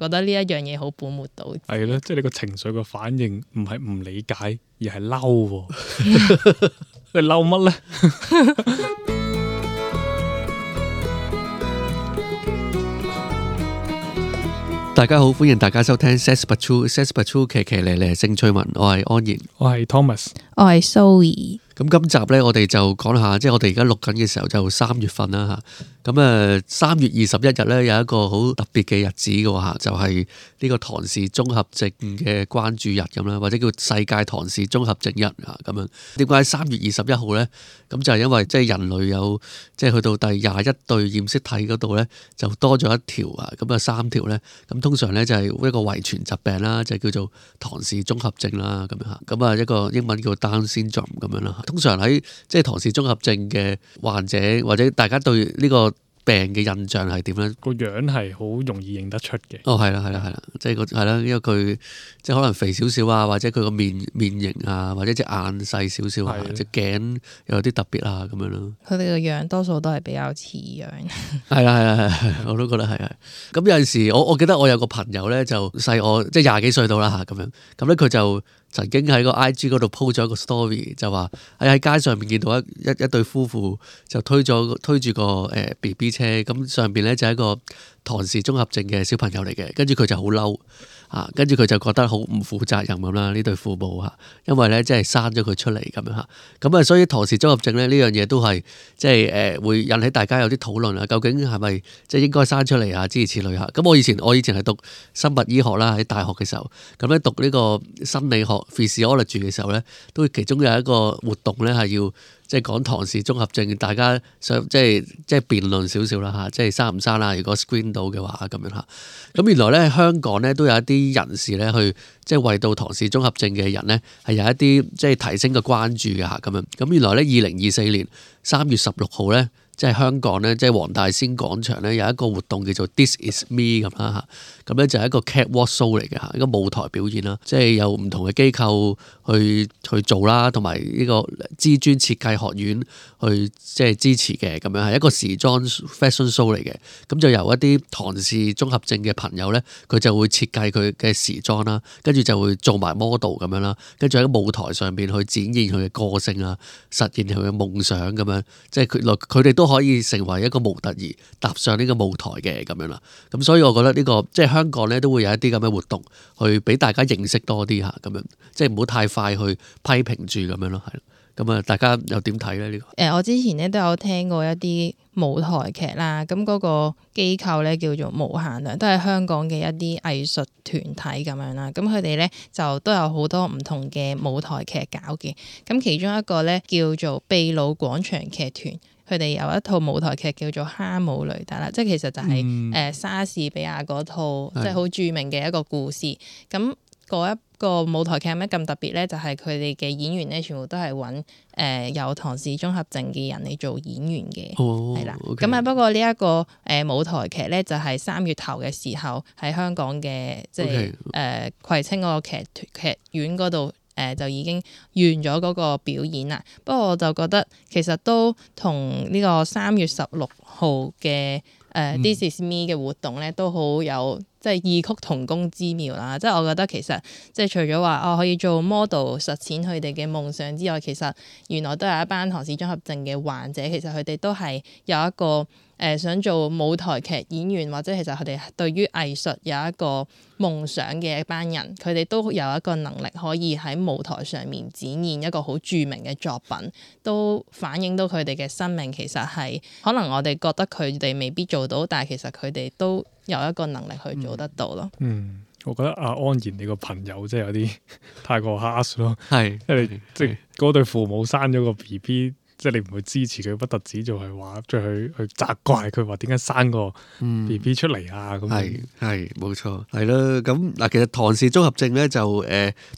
覺得呢一樣嘢好本末倒置。係咯，即係你個情緒個反應唔係唔理解，而係嬲喎。你嬲乜咧？大家好，歡迎大家收聽 Says But True 騎騎咧咧性趣聞，我係安然，我係 Thomas，我係 Zoe。咁今集呢，我哋就講下，即係我哋而家錄緊嘅時候就3月份啦嚇。咁3月21日呢，有一個好特別嘅日子嘅喎嚇，就係呢個唐氏綜合症嘅關注日咁啦，或者叫世界唐氏綜合症日嚇咁樣。點解3月21號呢？咁就係因為即係人類有即係去到第21對染色體嗰度呢，就多咗一條啊，咁啊3條呢。咁通常呢，就係一個遺傳疾病啦，就叫做唐氏綜合症啦咁樣嚇。咁啊一個英文叫 Down syndrome 咁樣啦。通常喺即係唐氏綜合症嘅患者，或者大家對呢個病嘅印象係點咧？個樣係好容易認得出嘅。哦，係啦，即係係啦，因為佢即係可能肥少少啊，或者佢個面型啊，或者隻眼細少少啊，隻頸又有啲特別啊咁樣咯。佢哋個樣多數都係比較似樣。係啦，我都覺得係。咁有陣時，我記得我有個朋友咧，就細我即係20幾歲到啦嚇咁樣。咁咧佢就曾經喺個 IG 嗰度 po 咗一個 story，就話喺街上面見到一對夫婦就推住個BB 車，咁上邊咧就係一個唐氏綜合症嘅小朋友嚟嘅，跟住佢就好嬲啊，跟住佢就覺得好唔負責任咁啦，呢對父母嚇，因為咧即係生咗佢出嚟咁樣嚇，咁啊所以唐氏綜合症咧呢樣嘢都係即係會引起大家有啲討論啊，究竟係咪即係應該生出嚟啊？諸如此類嚇。咁我以前係讀生物醫學啦，喺大學嘅時候，咁咧讀呢個生理學 physiology 嘅時候咧，都其中有一個活動咧係要即係講唐氏綜合症，大家想即係辯論少少啦嚇，即係生唔生啦？如果 screen 到嘅話咁樣嚇。咁原來咧香港咧都有一啲人士咧去即係為到唐氏綜合症嘅人咧係有一啲即係提升嘅關注嘅嚇咁樣。咁原來咧2024年3月16號咧。即係香港咧，即係黃大仙廣場咧有一個活動叫做 This Is Me 咁啦嚇，咁咧就係一個 catwalk show 嚟嘅嚇，一個舞台表演啦，即係有唔同嘅機構去做啦，同埋呢個知專設計學院去即係支持嘅咁樣，係一個時裝 fashion show 嚟嘅。咁就由一啲唐氏綜合症嘅朋友咧，佢就會設計佢嘅時裝啦，跟住就會做埋 model 咁樣啦，跟住喺舞台上邊去展現佢嘅個性啊，實現佢嘅夢想咁樣，即係佢哋都可以成為一個模特兒踏上呢個舞台嘅咁樣啦，咁所以我覺得呢個即係香港咧都會有一啲咁嘅活動，去俾大家認識多啲嚇咁樣，即係唔好太快去批評住咁樣咯，係咯。咁啊，大家又點睇咧呢個？我之前咧都有聽過一啲舞台劇啦，咁嗰個機構咧叫做無限量，都係香港嘅一啲藝術團體咁樣啦。咁佢哋咧就都有好多唔同嘅舞台劇搞嘅。咁其中一個咧叫做秘魯廣場劇團，佢哋有一套舞台劇叫做《哈姆雷特》啦，即係其實就係莎士比亞嗰套即係好著名嘅一個故事。咁嗰一個舞台劇有咩咁特別咧？就係佢哋嘅演員咧，全部都係揾有唐氏綜合症嘅人嚟做演員嘅，係啦。咁啊，不過呢一個舞台劇咧，就係3月頭嘅時候喺香港嘅即係葵青嗰個劇院嗰度就已經完咗嗰個表演啦。不過我就覺得其實都同呢個3月16號嘅This Is Me 嘅活動咧，都好有即係異曲同工之妙啦！即係我覺得其實即係除咗話可以做 model 實踐佢哋嘅夢想之外，其實原來都有一班唐氏綜合症嘅患者，其實佢哋都係有一個想做舞台劇演員，或者其實佢哋對於藝術有一個夢想嘅一班人，佢哋都有一個能力可以喺舞台上面展現一個好著名嘅作品，都反映到佢哋嘅生命其實係可能我哋覺得佢哋未必做到，但係其實佢哋都有一個能力去做得到咯。我覺得阿安然你個朋友真係有啲太過 harsh 咯，係因為即係嗰對父母生咗個 BB。即係你唔會支持佢，不特止就係話，再去責怪佢話點解生個 BB 出嚟啊？咁係冇錯，係咯。咁嗱，其實唐氏綜合症咧就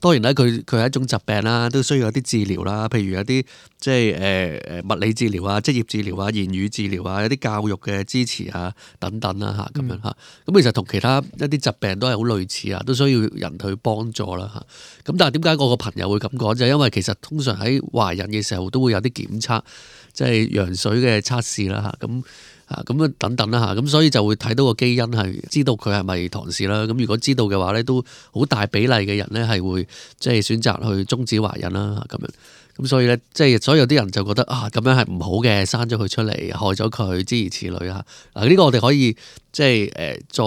當然啦，佢係一種疾病啦，都需要有啲治療啦。譬如有啲即係物理治療啊、職業治療啊、言語治療啊、有啲教育嘅支持啊等等啦嚇咁樣嚇。咁其實同其他一啲疾病都係好類似啊，都需要人去幫助啦嚇。咁但係點解我個朋友會咁講？就係因為其實通常喺懷孕嘅時候都會有啲檢測。即係羊水嘅測試啦嚇，咁咁啊等等啦嚇，咁所以就會睇到個基因係知道佢係咪唐氏啦。咁如果知道嘅話咧，都好大比例嘅人咧係會即係選擇去終止懷孕啦咁樣。咁所以咧，即係所以有啲人就覺得啊，咁樣係唔好嘅，生咗佢出嚟，害咗佢，諸如此類啊。嗱，呢個我哋可以即係再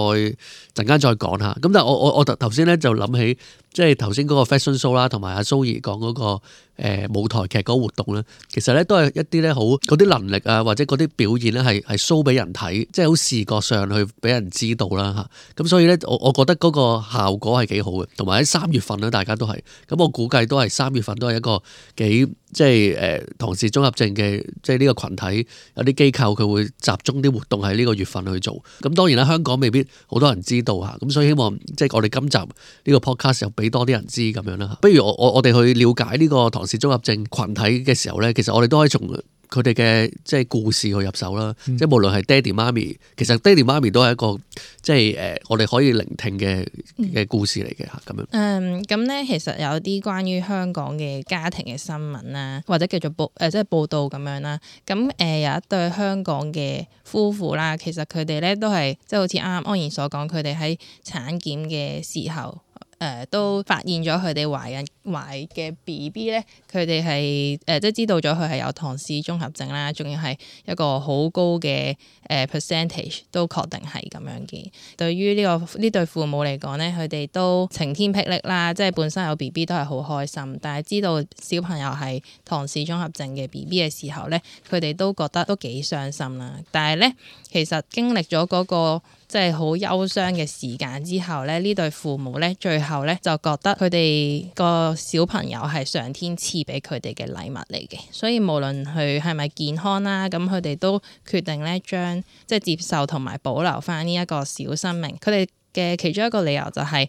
陣間再講下。咁但係我頭先咧就諗起，即係頭先嗰個 fashion show 啦，同埋阿蘇怡講嗰個舞台劇嗰個活動咧，其實咧都係一啲咧好嗰啲能力啊，或者嗰啲表現咧係 show 俾人睇，即係好視覺上去俾人知道啦嚇。咁所以咧，我覺得嗰個效果係幾好嘅，同埋喺3月份咧，大家都係咁，我估計都係3月份都係一個幾即係唐氏綜合症嘅即係呢個群體有啲機構佢會集中啲活動喺呢個月份去做。咁當然啦，香港未必好多人知道嚇，咁所以希望即係我哋今集呢個 podcast 又俾多啲人知咁樣啦。不如我哋去了解呢個唐氏綜合症群體嘅時候咧，其實我哋都可以從佢哋嘅即係故事去入手啦。即係無論係爹哋媽咪，其實爹哋媽咪都係一個即係我哋可以聆聽嘅故事嚟嘅嚇咁樣。咁咧其實有啲關於香港嘅家庭嘅新聞啦，或者叫做即係報道咁樣啦。咁有一對香港嘅夫婦啦，其實佢哋咧都係即係好似啱啱安然所講，佢哋喺產檢嘅時候。都發現咗佢哋懷嘅 BB 咧，佢哋係即係知道咗佢係有唐氏綜合症啦，仲要係一個好高嘅percentage 都確定係咁樣嘅。對於呢對父母嚟講咧，佢哋都晴天霹靂啦，即係本身有 BB 都係好開心，但係知道小朋友係唐氏綜合症嘅 BB 嘅時候咧，佢哋都覺得都幾傷心啦。但係咧，其實經歷咗嗰個即係好憂傷嘅時間之後咧，呢對父母咧最後咧就覺得佢哋個小朋友係上天賜俾佢哋嘅禮物嚟嘅，所以無論佢係咪健康啦，咁佢哋都決定咧將即係接受同埋保留翻呢一個小生命。佢哋嘅其中一個理由就係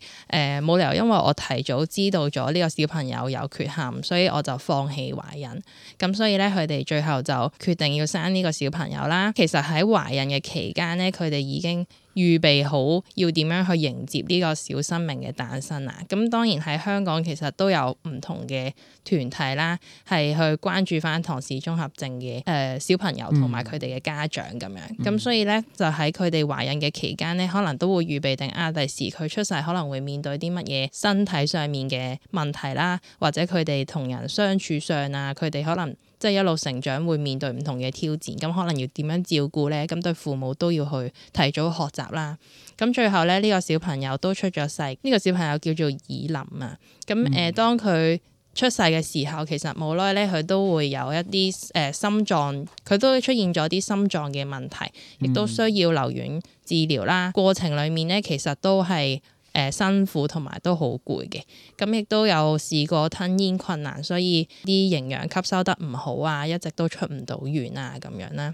冇理由因為我提早知道咗呢個小朋友有缺陷，所以我就放棄懷孕。咁所以咧，佢哋最後就決定要生呢個小朋友啦。其實喺懷孕嘅期間咧，佢哋已經預備好要點樣去迎接呢個小生命嘅誕生啦。咁當然喺香港其實都有唔同嘅團體啦，係去關注翻唐氏綜合症嘅小朋友同埋佢哋嘅家長咁樣。咁所以咧，就喺佢哋懷孕嘅期間咧，可能都會預備定第時佢出世可能會面對啲乜嘢身體上面嘅問題啦，或者佢哋同人相處上啊，佢哋可能即係一路成長會面對唔同嘅挑戰，咁可能要點樣照顧咧？咁對父母都要去提早學習啦。咁最後咧，呢個小朋友都出咗世，呢個小朋友叫做以琳啊。咁當佢出世嘅時候，其實冇耐咧，佢都會有一啲心臟，佢都出現咗啲心臟嘅問題，亦都需要留院治療啦。過程裡面咧，其實都係辛苦同埋都好攰嘅，咁亦都有試過吞嚥困難，所以啲營養吸收得唔好啊，一直都出唔到院啊咁樣啦。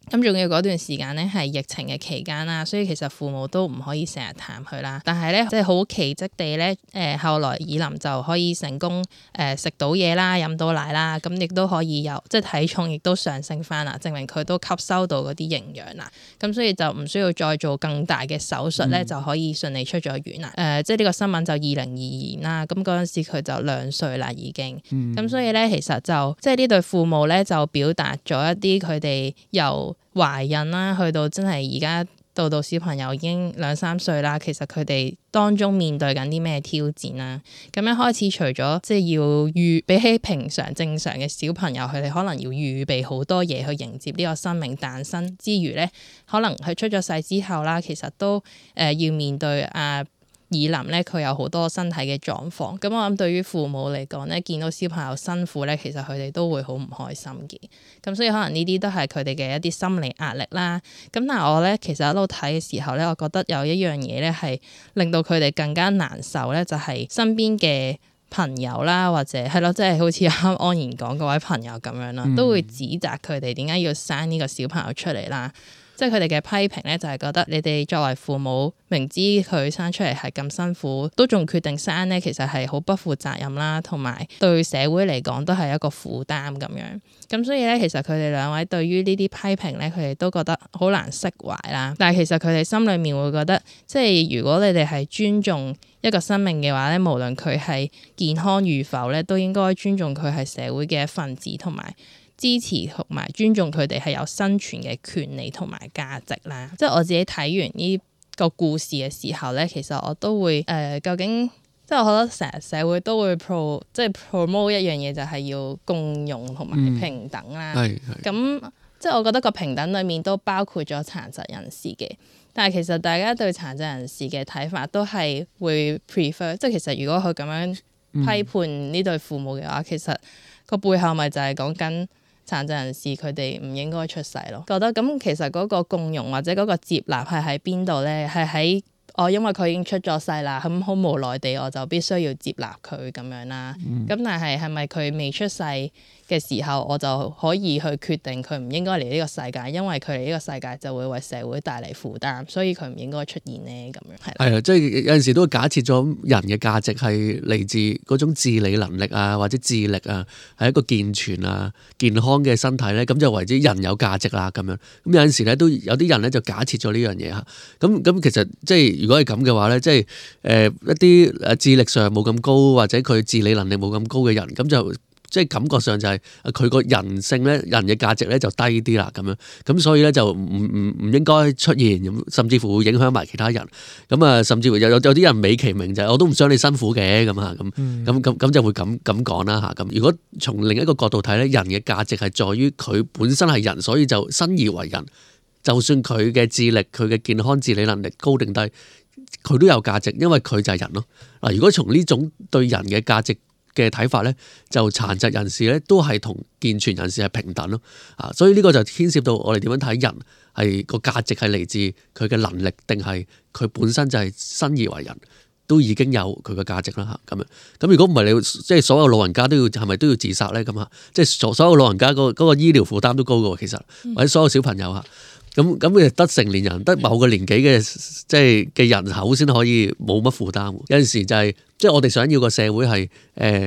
咁仲要嗰段時間咧係疫情嘅期間啦，所以其實父母都唔可以成日探佢啦。但係咧，即係好奇蹟地咧，後來以琳就可以成功食到嘢啦，飲到奶啦，咁亦都可以有即係體重亦都上升翻啦，證明佢都吸收到嗰啲營養啦。咁所以就唔需要再做更大嘅手術咧，就可以順利出咗院啦。即係呢個新聞就2022年啦，咁嗰陣時佢就2歲啦已經。咁所以咧，其實就即係呢對父母咧就表達咗一啲佢哋由懷孕啦，去到真係而家到小朋友已經2-3歲啦，其實佢哋當中面對緊啲咩挑戰啦？咁一開始除咗即係要比起平常正常嘅小朋友，佢哋可能要預備好多嘢去迎接呢個生命誕生之餘咧，可能佢出咗世之後啦，其實都要面對以琳咧，佢有好多身體嘅狀況。咁我諗對於父母嚟講咧，見到小朋友辛苦咧，其實佢哋都會好唔開心嘅。咁所以可能呢啲都係佢哋嘅一啲心理壓力啦。咁但係我咧其實喺度睇嘅時候咧，我覺得有一樣嘢咧係令到佢哋更加難受咧，就係身邊嘅朋友啦，或者係咯，即係好似啱安然講嗰位朋友咁樣啦，都會指責佢哋點解要生呢個小朋友出嚟啦。即係佢哋嘅批評咧，就係覺得你哋作為父母，明知佢生出嚟係咁辛苦，都仲決定生咧，其實係好不負責任啦，同埋對社會嚟講都係一個負擔咁樣。咁所以咧，其實佢哋兩位對於呢啲批評咧，佢哋都覺得好難釋懷啦。但係其實佢哋心裏面會覺得，即係如果你哋係尊重一個生命嘅話咧，無論佢係健康與否咧，都應該尊重佢係社會嘅一份子，同埋支持同埋尊重佢哋係有生存嘅權利同埋價值啦。即係我自己睇完呢個故事嘅時候咧，其實我都會究竟即係我覺得成日社會都會即係 promote 一樣嘢，就係要共融同埋平等啦。咁即係我覺得個平等裡面都包括咗殘疾人士嘅，但係其實大家對殘疾人士嘅睇法都係會 prefer， 即係其實如果佢咁樣批判呢對父母嘅話，其實個背後咪就係講緊殘疾人士佢哋唔應該出世咯。覺得咁其實嗰個共融或者嗰個接納係喺邊度咧？係喺因為佢已經出咗世啦，咁好無奈地我就必須要接納佢咁樣啦。咁但係咪佢未出世嘅時候，我就可以去決定佢唔應該嚟呢個世界，因為佢嚟呢個世界就會為社會帶嚟負擔，所以佢唔應該出現呢？咁樣係啊，即係有陣時都會假設咗人嘅價值係嚟自嗰種自理能力啊，或者智力啊，係一個健全啊、健康嘅身體咧，咁就為之人有價值啦咁樣。咁有陣時咧都有啲人咧就假設咗呢樣嘢嚇。咁其實即係如果係咁嘅話咧，即係一啲智力上冇咁高或者佢自理能力冇咁高嘅人，咁就即係感覺上就係佢個人性咧，人嘅價值咧就低啲啦咁樣，咁所以咧就唔應該出現，甚至乎會影響埋其他人。咁啊，甚至乎有啲人美其名就係我都唔想你辛苦嘅咁啊，咁就會咁講啦嚇。咁如果從另一個角度睇咧，人嘅價值係在於佢本身係人，所以就生而為人。就算佢嘅智力、佢嘅健康自理能力高定低，佢都有價值，因為佢就係人咯。嗱，如果從呢種對人嘅價值嘅睇法咧，就殘疾人士咧都係同健全人士係平等咯。啊，所以呢個就牽涉到我哋點樣睇人係個價值係嚟自佢嘅能力，定係佢本身就係生而為人都已經有佢嘅價值啦嚇咁樣。咁如果唔係你即係所有老人家都要係咪都要自殺咧咁啊？即係所有老人家嗰個醫療負擔都高嘅喎，其實或者所有小朋友嚇。咁佢得成年人，得某個年紀嘅即係嘅人口先可以冇乜負擔。有陣時就係即係我哋想要個社會係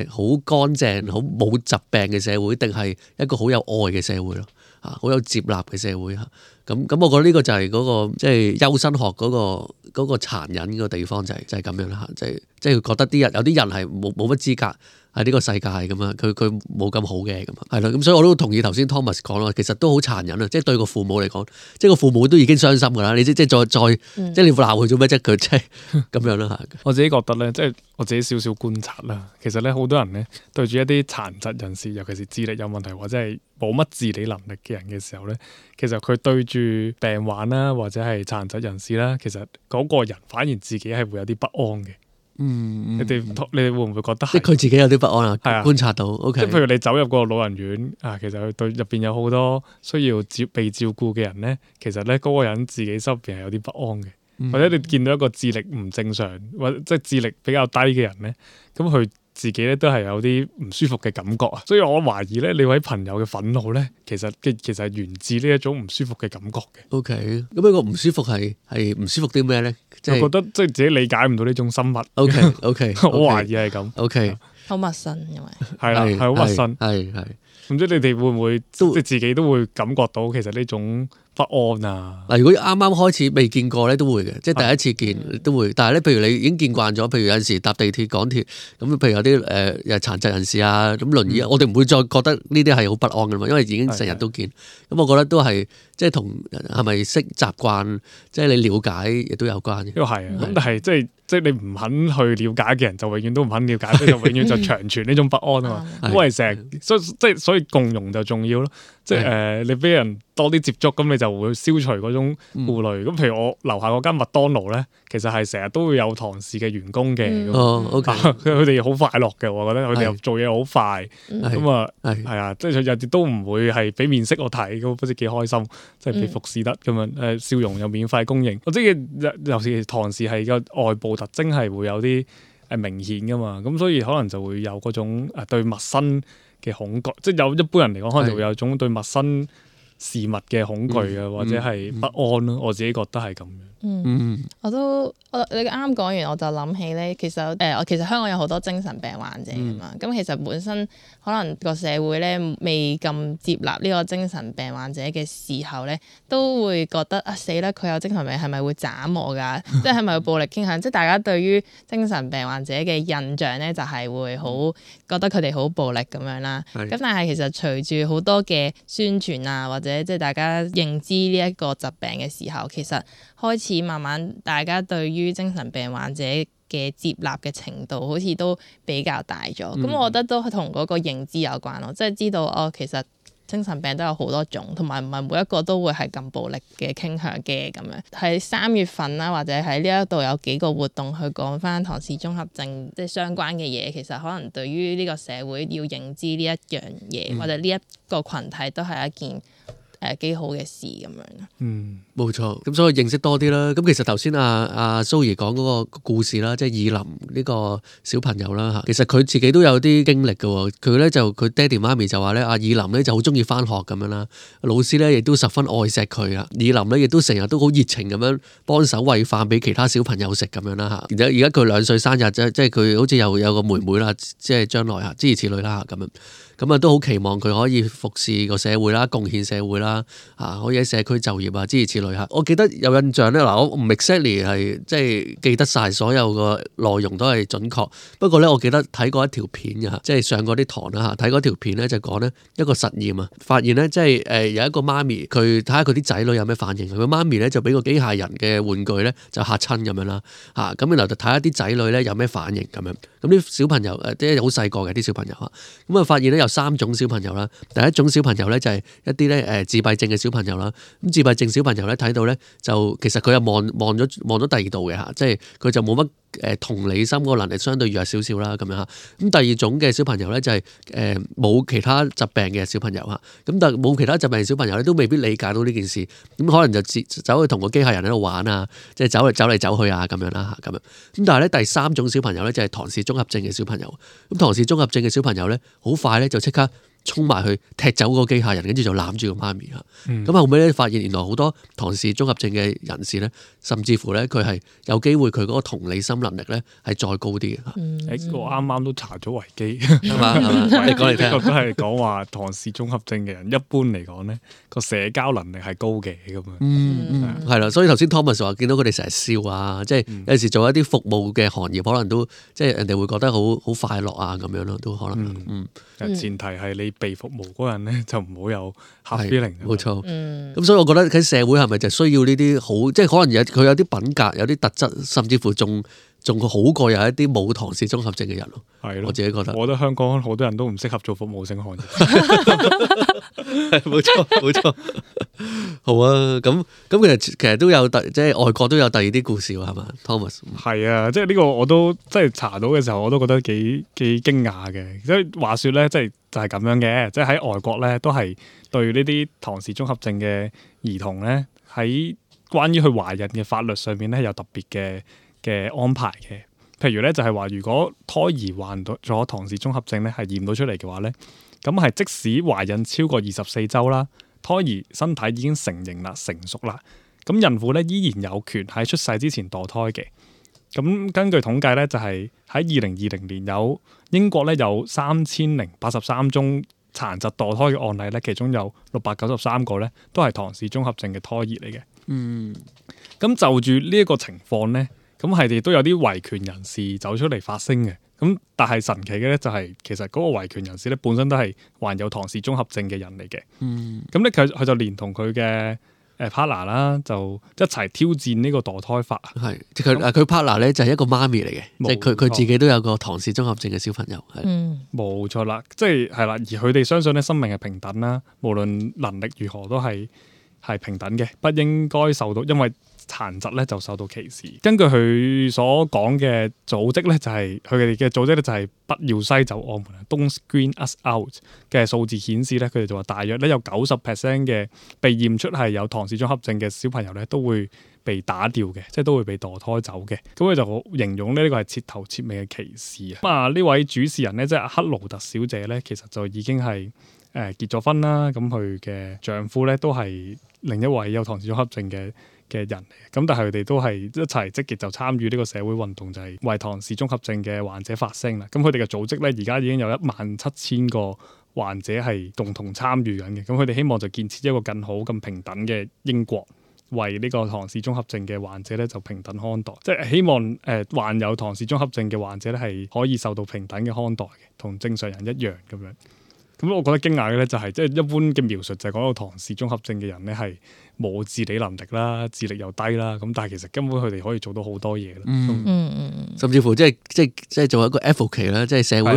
好乾淨、好冇疾病嘅社會，定係一個好有愛嘅社會咯？啊，好有接納嘅社會嚇。咁我覺得呢個就係嗰個即係優生學嗰個殘忍嘅地方就係咁樣啦嚇。即係覺得有啲人係冇乜資格喺呢個世界咁啊，佢冇咁好嘅咁啊，係咯，咁所以我都同意頭先 Thomas 講咯，其實都好殘忍啊！即係對個父母嚟講，即係個父母都已經傷心㗎啦，你即係再即係你鬧佢做咩啫？佢即係咁樣啦嚇。我自己覺得咧，即係我自己少少觀察啦，其實咧好多人咧對住一啲殘疾人士，尤其是智力有問題或者係冇乜自理能力嘅人嘅時候咧，其實佢對住病患啦或者係殘疾人士啦，其實嗰個人反而自己係會有啲不安嘅。你哋會唔會覺得即係佢自己有啲不安啊？係啊，觀察到。即係譬如你走入個老人院啊，其實佢對入邊有好多需要被照顧嘅人咧，其實咧嗰個人自己心入邊係有啲不安嘅，或者你見到一個智力唔正常或者即係智力比較低嘅人咧，咁佢自己咧都係有啲唔舒服嘅感覺啊，所以我懷疑咧，你位朋友嘅憤怒咧，其實係源自呢一種唔舒服嘅感覺嘅。OK，咁呢個唔舒服係唔舒服啲咩咧？我覺得即係自己理解唔到呢種生物。OK，我懷疑係咁。OK，好陌生，因為係啦，係好陌生，係。唔知你哋會唔會即係自己都會感覺到其實呢種不安啊？嗱，如果啱啱開始未見過咧，都會嘅，即係第一次見都會。但係咧，譬如你已經見慣咗，譬如有陣時搭地鐵、港鐵咁，譬如有啲殘疾人士啊，咁輪椅，我哋唔會再覺得呢啲係好不安噶嘛，因為已經成日都見。咁我覺得都係即係同係咪識習慣，即係你了解亦都有關嘅。呢個係啊，咁但係即係你唔肯去了解嘅人，就永遠都唔肯了解，就永遠就長存呢種不安啊嘛。因為成日所以共融就重要咯。即係你俾人多啲接觸，咁你就會消除嗰種顧慮。咁譬如我樓下嗰間麥當勞咧，其實係成日都會有唐氏嘅員工嘅。OK，佢哋好快樂嘅，我覺得佢哋又做嘢好快。咁啊，係啊，即係佢日日都唔會係俾面色我睇，咁不知幾開心，即係被服侍得咁樣。笑容又免費供應。我知尤其是唐氏係個外部特徵係會有啲明顯噶嘛，咁所以可能就會有嗰種對陌生嘅恐懼，即係有一般人嚟講，可能就會有種對陌生事物嘅恐懼啊，或者係不安咯。我自己覺得係咁樣。你啱啱講完，我就諗起咧，其實香港有好多精神病患者㗎嘛。咁其實本身可能個社會咧未咁接納呢個精神病患者嘅時候咧，都會覺得死啦！佢有精神病係咪會斬我㗎？即係咪會暴力傾向？即係大家對於精神病患者嘅印象咧，就係會好覺得佢哋好暴力咁樣啦。咁但係其實隨住好多嘅宣傳啊，或者即係大家認知呢一個疾病嘅時候，其實開始慢慢大家對於精神病患者嘅接納嘅程度好似都比較大咗。我覺得都同嗰個認知有關咯，即係知道其實精神病都有好多種，同埋唔係每一個都會係咁暴力嘅傾向嘅咁樣。喺3月份啦，或者喺呢一度有幾個活動去講翻唐氏綜合症即係相關嘅嘢，其實可能對於呢個社會要認知呢一樣嘢，或者呢一個群體都係一件幾好嘅事咁樣。冇錯。咁所以認識多啲啦。咁其實頭先阿蘇怡講嗰個故事啦，即係以林呢個小朋友啦嚇，其實佢自己都有啲經歷嘅喎。佢爹哋媽咪就話咧，阿以林咧就好中意翻學咁樣啦，老師咧亦都十分愛錫佢啊。以林咧亦都成日都好熱情咁樣幫手餵飯俾其他小朋友食咁樣啦嚇。而家佢2歲生日即係佢好似又有個妹妹啦，即係將來嚇諸如此類啦咁樣。咁啊都好期望佢可以服侍個社會啦，貢獻社會啦，可以喺社區就業啊，諸如此類嚇。我記得有印象咧，我唔 exactly 係即係記得晒所有個內容都係準確。不過咧，我記得睇過一條片嘅，即係上過啲堂啦嚇，睇嗰條片咧就講咧一個實驗啊，發現咧即係有一個媽咪，佢睇下佢啲仔女有咩反應。佢媽咪咧就俾個機械人嘅玩具咧就嚇親咁樣啦嚇，咁然後就睇下啲仔女咧有咩反應咁樣。咁啲小朋友即係好細個嘅啲小朋友嚇，咁啊發現咧有3種小朋友啦。第一種小朋友咧就係一啲咧自閉症嘅小朋友啦。咁自閉症小朋友咧睇到咧就其實佢又望咗第二度嘅嚇，即係佢就冇乜同理心嗰個能力相對弱少少啦咁樣嚇。咁第二種嘅小朋友咧就係冇其他疾病嘅小朋友嚇。咁但係冇其他疾病嘅小朋友咧都未必理解到呢件事，咁可能就走去同個機械人喺度玩啊，即係走嚟走去啊咁樣啦嚇咁樣。咁但係咧第3種小朋友咧就係唐氏綜合症嘅小朋友。咁唐氏綜合症嘅小朋友咧好快咧就即刻衝埋去踢走個機械人，跟住就攬住個媽咪嚇。咁後尾咧發現原來好多唐氏綜合症嘅人士咧，甚至乎咧佢係有機會佢嗰個同理心能力咧係再高啲嘅嚇。我啱啱都查咗維基，係嘛？你講嚟聽。呢個都係講話唐氏綜合症嘅人一般嚟講咧個社交能力係高嘅咁樣。係啦，所以頭先 Thomas 話見到佢哋成日笑啊，即係有時做一啲服務嘅行業，可能都即係人哋會覺得好快樂啊咁樣咯，都可能。前提係你被服務嗰人咧就唔好有 hard feeling。冇錯。咁所以我覺得喺社會係咪就需要呢啲好，即係可能佢有啲品格、有啲特質，甚至乎仲好過有一啲冇唐氏綜合症嘅人咯。係咯，我自己覺得。我覺得香港好多人都唔適合做服務性行業。冇錯。好啊，咁其實都有即係外國都有第二啲故事喎，係嘛 ，Thomas？係啊，即係呢個我都即係查到嘅時候，我都覺得幾驚訝嘅。即係話說咧，即係就係咁樣嘅，即係喺外國咧都係對呢啲唐氏綜合症嘅兒童咧，喺關於佢懷孕嘅法律上面咧有特別嘅安排嘅。譬如咧就係話，如果胎兒患咗唐氏綜合症咧，係驗到出嚟嘅話咧，咁係即使懷孕超過24週啦，胎兒身體已經成型啦、成熟啦，咁孕婦咧依然有權喺出世之前墮胎嘅。咁根據統計咧，就係喺2020年英國咧有3083宗殘疾墮胎嘅案例咧，其中有693個咧都係唐氏綜合症嘅胎兒嚟嘅。咁就住呢一個情況咧，咁係亦都有啲維權人士走出嚟發聲嘅。咁但係神奇嘅咧就係其實嗰個維權人士咧本身都係患有唐氏綜合症嘅人嚟嘅。咁咧佢就連同佢嘅partner 啦，就一齊挑戰呢個墮胎法。係，佢 partner 咧就係一個媽咪嚟嘅，即係佢自己都有個唐氏綜合症嘅小朋友。冇錯啦，即係啦，而佢哋相信咧生命係平等啦，無論能力如何都係平等嘅，不應該受到因為殘疾咧就受到歧視。根據佢所講嘅組織咧，就係佢哋嘅組織咧就係不要篩走我們 ，Don't screen us out 嘅數字顯示咧，佢哋就話大約咧有90% 嘅被驗出係有唐氏綜合症嘅小朋友咧都會被打掉嘅，即係都會被墮胎走嘅。咁佢就形容呢個係徹頭徹尾嘅歧視啊！呢位主持人咧即係克勞特小姐咧，其實就已經係結咗婚啦，咁佢嘅丈夫咧都係另一位有唐氏綜合症嘅人嚟嘅，咁但係佢哋都係一齊積極就參與呢個社會運動，就係為唐氏綜合症嘅患者發聲啦。咁佢哋嘅組織咧而家已經有17000個患者係共同參與緊嘅，咁佢哋希望就建設一個更好、更平等嘅英國，為呢個唐氏綜合症嘅患者咧就平等看待，即係希望患有唐氏綜合症嘅患者咧係可以受到平等嘅看待嘅，同正常人一樣咁樣。咁我覺得驚訝嘅咧就係即係一般嘅描述就係講到唐氏綜合症嘅人咧係冇自理能力啦，智力又低啦，咁但係其實根本佢哋可以做到好多嘢啦。甚至乎即係做一個 advocate 啦，即係社會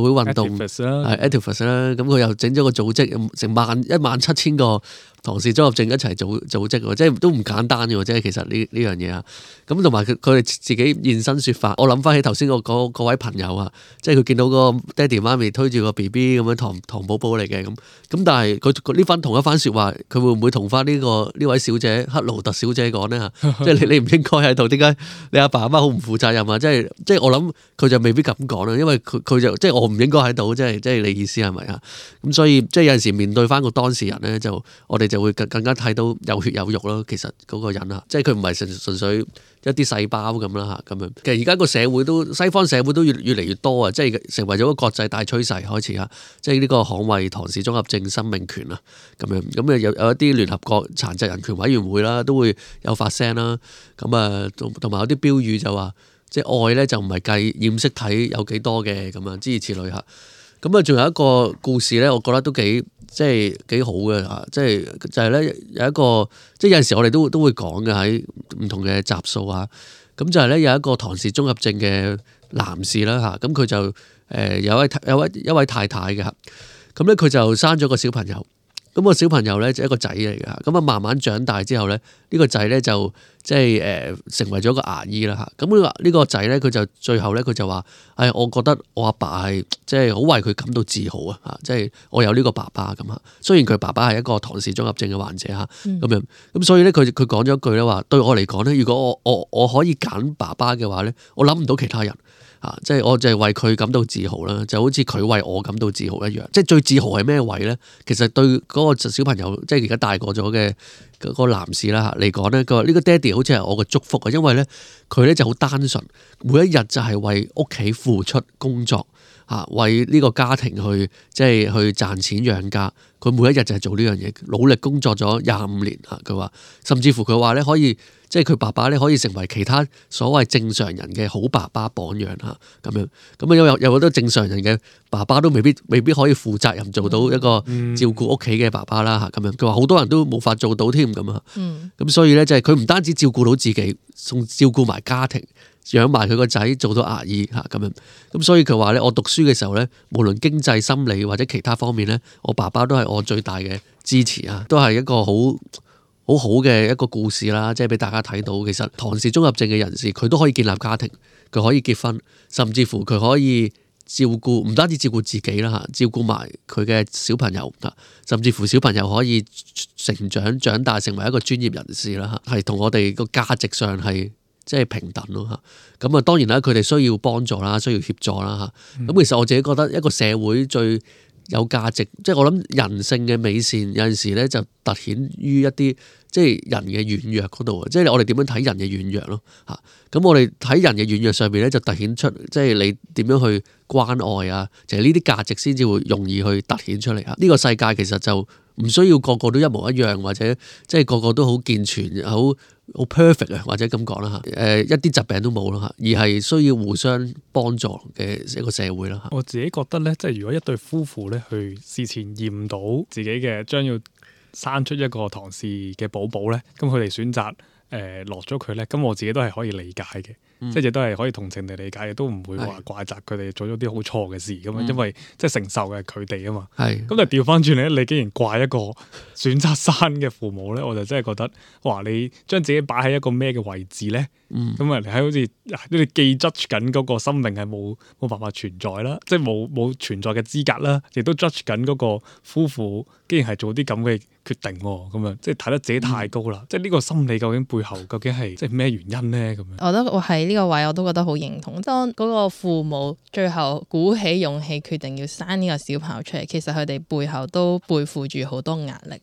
運動 activist 啦，咁佢又整咗個組織，成17000個唐氏綜合症一齊組織喎，即係都唔簡單嘅喎，即係其實呢樣嘢啊。咁同埋佢哋自己現身説法，我諗翻起頭先嗰位朋友啊，即係佢見到個爹哋媽咪推住個 BB 咁樣唐寶寶嚟嘅咁，但係佢呢番同一番説話，佢會唔會同翻呢位小姐克勞特小姐講呢？即係你唔應該喺度，點解你阿爸阿媽好唔負責任啊？即係我諗佢就未必咁講啦，因為佢就即係我唔應該喺度，即係你意思係咪啊？咁所以即係有陣時面對翻個當事人咧，就我哋就會更加睇到有血有肉咯。其實嗰個人啊，即係佢唔係純粹一啲細胞咁啦嚇咁樣。其實而家個社會都西方社會都越嚟越多啊，即係成為咗個國際大趨勢開始嚇。即係呢個捍衞唐氏綜合症生命權啊咁樣。咁有一啲聯合國殘疾人權委員會啦，都會有發聲啦。咁啊同埋有啲標語就話，即係愛咧就唔係計染色體有幾多嘅咁樣，諸如此類嚇。咁啊，仲有一個故事咧，我覺得都幾好嘅嚇，就係咧有一個，即係有陣時我哋都會講嘅喺唔同嘅集數啊。咁就係咧有一個唐氏綜合症嘅男士啦嚇，咁佢就有一位太太嘅嚇，咁咧佢就生咗個小朋友。咁個小朋友咧就一個仔嚟嘅，咁啊慢慢長大之後咧，呢個仔咧就即係成為咗個牙醫啦嚇。咁呢個仔咧佢就最後咧佢就話：我覺得我阿爸係即係好為佢感到自豪啊嚇！即係我有呢個爸爸咁嚇。雖然佢爸爸係一個唐氏綜合症嘅患者嚇，咁樣咁所以咧佢講咗一句咧話：對我嚟講咧，如果我可以揀爸爸嘅話咧，我諗唔到其他人。即係我就係為佢感到自豪啦，就好似佢為我感到自豪一樣。即係最自豪係咩位咧？其實對嗰個小朋友，即係而家大個咗嘅嗰個男士啦嚟講咧，佢話呢個爹哋好似係我嘅祝福啊，因為咧佢咧就好單純，每一日就係為屋企付出工作嚇，為呢個家庭去賺錢養家。佢每一日就係做呢樣嘢，努力工作咗25年嚇。佢話甚至乎佢話咧可以。即係佢爸爸咧可以成為其他所謂正常人嘅好爸爸榜樣嚇咁樣，咁啊有好多正常人嘅爸爸都未必可以負責任做到一個照顧屋企嘅爸爸啦嚇咁樣。佢話好多人都冇法做到添咁啊。咁所以咧就係佢唔單止照顧到自己，仲照顧埋家庭，養埋佢個仔做到牙醫嚇咁樣。咁所以佢話咧，我讀書嘅時候咧，無論經濟、心理或者其他方面咧，我爸爸都係我最大嘅支持啊，都係一個好嘅一個故事啦，即係俾大家睇到，其實唐氏綜合症嘅人士佢都可以建立家庭，佢可以結婚，甚至乎佢可以照顧，唔單止照顧自己啦嚇，照顧埋佢嘅小朋友啊，甚至乎小朋友可以長大成為一個專業人士啦嚇，係同我哋個價值上係即係平等咯嚇。咁啊當然啦，佢哋需要幫助啦，需要協助啦嚇。咁其實我自己覺得一個社會最有價值，即係我諗人性嘅美善有陣時咧就凸顯於一啲即係人嘅軟弱嗰度啊！即係我哋點樣睇人嘅軟弱咯嚇？咁我哋睇人嘅軟弱上面咧就凸顯出即係你點樣去關愛啊！就係呢啲價值先至會容易去凸顯出嚟啊！呢個世界其實就唔需要個個都一模一樣，或者即係個個都好健全、好 perfect 啊，或者咁講啦嚇。一啲疾病都冇啦嚇，而係需要互相幫助嘅一個社會啦嚇。我自己覺得咧，即係如果一對夫婦咧去事前驗到自己嘅將要生出一個唐氏嘅寶寶咧，咁佢哋選擇落咗佢咧，咁我自己都係可以理解嘅，即係亦都係可以同情地理解嘅，都唔會話怪責佢哋做咗啲好錯嘅事咁樣，因為即係承受嘅係佢哋啊嘛。咁就調翻轉咧，你竟然怪一個選擇生嘅父母咧，我就真係覺得哇！你將自己擺喺一個咩嘅位置咧？咁你喺好似你既 judge 緊嗰個生命係冇辦法存在啦，即係冇存在嘅資格啦，亦都 judge 緊嗰個夫婦竟然係做啲咁嘅決定喎，咁樣即係睇得自己太高啦。即係呢個心理究竟背後究竟係即係咩原因咧？咁樣我覺得我喺呢個位我都覺得好認同。當嗰個父母最後鼓起勇氣決定要生呢個小朋友出嚟，其實佢哋背後都背負住好多壓力。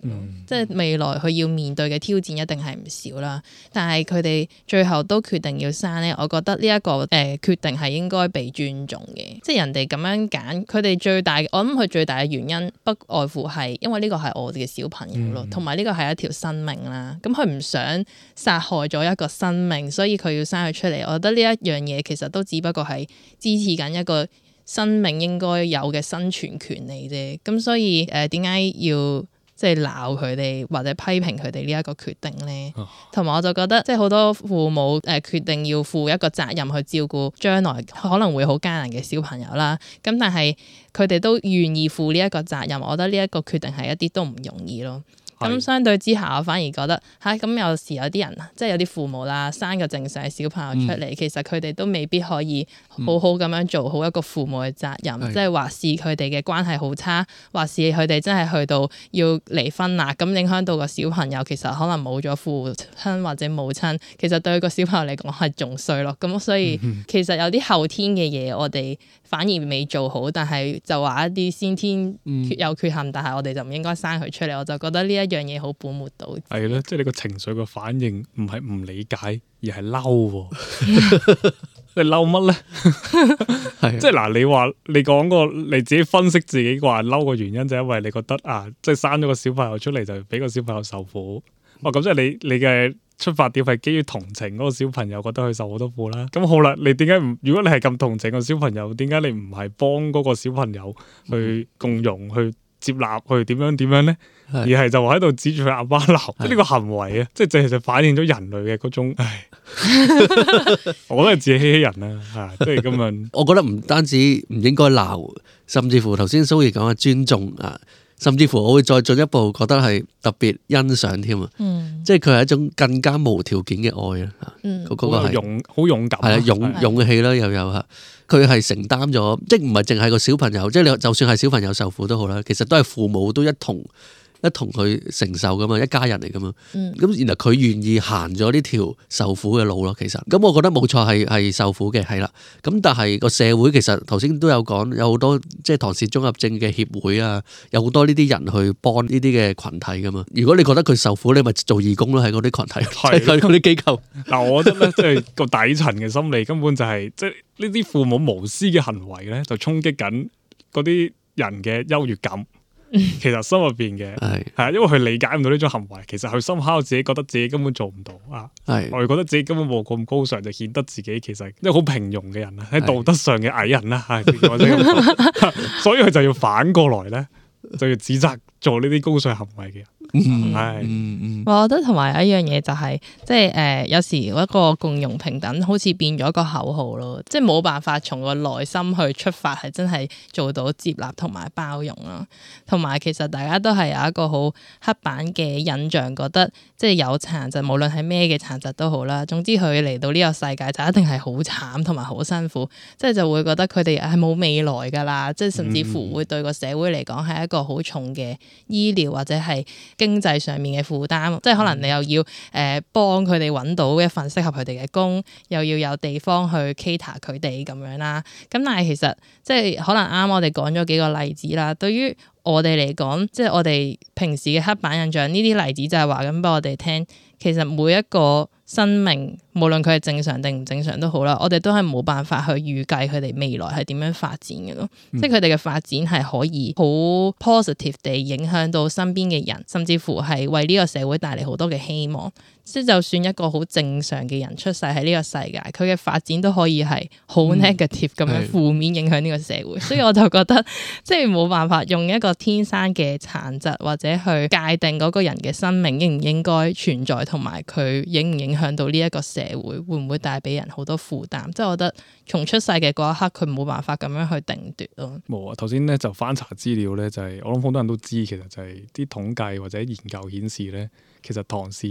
即係未來佢要面對嘅挑戰一定係唔少啦。但係佢哋最後都決定要生咧，我覺得呢一個決定係應該被尊重嘅。即係人哋咁樣揀，佢哋我諗佢最大嘅原因不外乎係因為呢個係我哋嘅小朋友咯，同埋呢個係一條生命啦。咁佢唔想殺害咗一個生命，所以佢要生佢出嚟。我覺得呢一樣嘢其實都只不過係支持緊一個生命應該有嘅生存權利啫。咁所以點解要即係鬧佢哋或者批評佢哋呢一個決定咧？同埋我就覺得即係好多父母決定要負一個責任去照顧將來可能會好艱難嘅小朋友啦。咁但係佢哋都願意負呢一個責任，我覺得呢一個決定係一啲都唔容易咯。咁相對之下，我反而覺得咁有時有啲人即係有啲父母啦，生個正常嘅小朋友出嚟，其實佢哋都未必可以好好咁樣做好一個父母嘅責任，即係話是佢哋嘅關係好差，話是佢哋真係去到要離婚啦，咁影響到個小朋友，其實可能冇咗父親或者母親，其實對個小朋友嚟講係仲衰咯。咁所以其實有啲後天嘅嘢，我哋反而未做好，但係就話一啲先天有缺陷，但係我哋就唔應該生佢出嚟。我就覺得呢一樣嘢好本末倒置。係咯，即係你個情緒個反應唔係唔理解，而係嬲。你嬲乜咧？即係嗱，你講過你自己分析自己話嬲個原因，就因為你覺得即係生咗個小朋友出嚟就俾個小朋友受苦。咁即係你嘅出發點係基於同情嗰個小朋友，覺得佢受好多苦啦。咁好啦，你點解唔？如果你係咁同情個小朋友，點解你唔係幫嗰個小朋友去共融、去接納、去點樣咧？而係就話喺度指住佢阿媽鬧，即係呢個行為啊，即係就反映咗人類嘅嗰種，我覺得係自己欺人啦，即係咁樣。我覺得唔單止唔應該鬧，甚至乎頭先蘇怡講嘅尊重啊。甚至乎我會再進一步覺得係特別欣賞添啊！即係佢係一種更加無條件嘅愛啊！嗰個係好勇敢，係啊，勇氣啦，又有嚇。佢係承擔咗，即係唔係淨係個小朋友，即係你就算係小朋友受苦都好啦，其實都係父母都一同去承受噶嘛，一家人嚟噶嘛。咁然後佢願意行咗呢條受苦嘅路咯，其實咁我覺得冇錯係受苦嘅，係啦。咁但係個社會其實頭先都有講，有好多即係唐氏綜合症嘅協會啊，有好多呢啲人去幫呢啲嘅群體噶嘛。如果你覺得佢受苦，你咪做義工咯，喺嗰啲群體，喺嗰啲機構。嗱，我覺得咧，即係個底層嘅心理根本就係即係呢啲父母無私嘅行為咧，就衝擊緊嗰啲人嘅優越感。其實心入邊嘅係因為佢理解唔到呢種行為，其實佢深刻自己覺得自己根本做唔到我覺得自己根本冇咁高尚，就顯得自己其實即係好平庸嘅人啦，喺道德上嘅矮人啦，所以佢就要反過來咧，就要指責做呢啲高尚行為嘅人。我覺得同埋一樣嘢就係，即係有時一個共融平等好似變咗一個口號咯，即係冇辦法從個內心去出發，係真係做到接納同埋包容咯。同埋其實大家都係有一個好刻板嘅印象，覺得即係有殘疾，無論係咩嘅殘疾都好啦。總之佢嚟到呢個世界就一定係好慘同埋好辛苦，即係就會覺得佢哋係冇未來㗎啦。即係甚至乎會對個社會嚟講係一個好重嘅醫療或者係經濟上面嘅負擔，即係可能你又要幫佢哋揾到一份適合佢哋嘅工，又要有地方去 cater 佢哋咁樣啦。咁但係其實即係可能啱我哋講咗幾個例子啦。對於我哋嚟講，即係我哋平時嘅刻板印象，呢啲例子就係話緊俾我哋聽，其實每一個生命，無論佢係正常定唔正常都好啦，我哋都係冇辦法去預計佢哋未來係點樣發展嘅咯。即係佢哋嘅發展係可以好 positive 地影響到身邊嘅人，甚至乎係為呢個社會帶嚟好多嘅希望。即係就算一個好正常嘅人出世喺呢個世界，佢嘅發展都可以係好 negative 咁樣負面影響呢個社會。所以我就覺得即係冇辦法用一個天生嘅殘疾或者去界定嗰個人嘅生命應唔應該存在，同埋佢影唔影響到呢一個社會，會唔會帶俾人好多負擔。即係我覺得從出世嘅嗰一刻，佢冇辦法咁樣去定奪咯。冇啊！頭先咧就翻查資料咧，就係我諗好多人都知，其實就係啲統計或者研究顯示咧，其實唐氏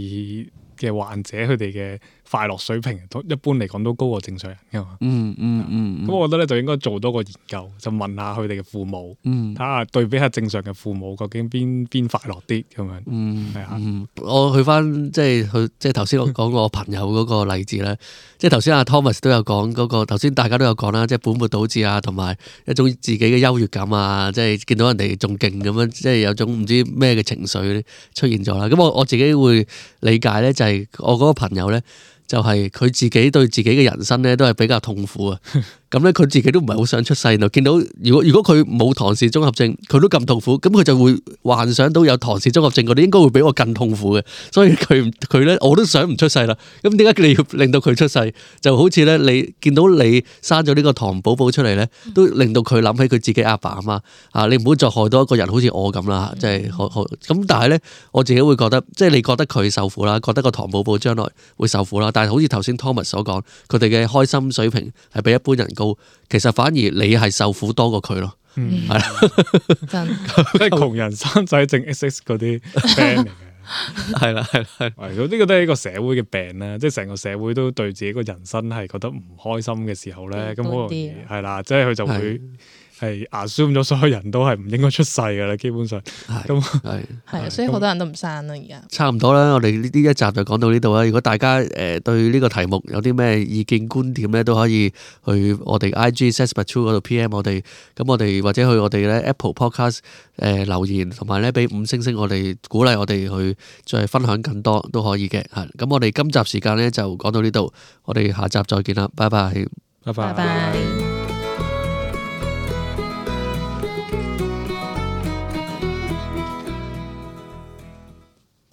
嘅患者佢哋嘅快樂水平，一般嚟講都高過正常人噶嘛。咁我覺得咧就應該做多個研究，就問下佢哋嘅父母，睇下對比下正常嘅父母，究竟邊快樂啲咁樣。係啊。我去翻即係頭先我講我朋友嗰個例子咧，即係頭先阿 Thomas 都有講嗰個，頭先大家都有講啦，即係本末倒置啊，同埋一種自己嘅優越感啊，即係見到人哋仲勁咁樣，即係有種唔知咩嘅情緒出現咗啦。咁我自己會理解咧，就係我嗰個朋友咧，就係佢自己對自己嘅人生咧都係比較痛苦啊。咁咧佢自己都唔係好想出世，見到如果佢冇唐氏綜合症，佢都咁痛苦，咁佢就會幻想到有唐氏綜合症嗰啲應該會比我更痛苦嘅，所以佢咧我都想唔出世啦。咁點解你要令到佢出世？就好似咧你見到你生咗呢個唐寶寶出嚟咧，都令到佢諗起佢自己阿爸阿媽啊！你唔好再害多一個人好似我咁啦，即係咁。但係咧我自己會覺得，即係你覺得佢受苦啦，覺得個唐寶寶將來會受苦啦。但係好似頭先 Thomas 所講，佢哋嘅開心水平係比一般人高，其實反而你係受苦多過佢咯，係啦，真即係窮人生仔症 XX 嗰啲病嚟嘅，係啦，呢個都係一個社會嘅病啦，即係成個社會都對自己個人生係覺得唔開心嘅時候咧，咁好容易係啦，即係佢就會係 assume 咗所有人都係唔應該出世噶啦，基本上咁係，所以好多人都唔生啦而家。差唔多啦，我哋呢一集就講到呢度啦。如果大家對呢個題目有啲咩意見觀點咧，都可以去我哋 IG Sesame True 嗰度 PM 我哋，咁我哋或者去我哋咧 Apple Podcast 留言，同埋咧俾5星星我哋鼓勵我哋去再分享更多都可以嘅。係咁，我哋今集時間咧就講到呢度，我哋下集再見啦，拜拜，拜拜。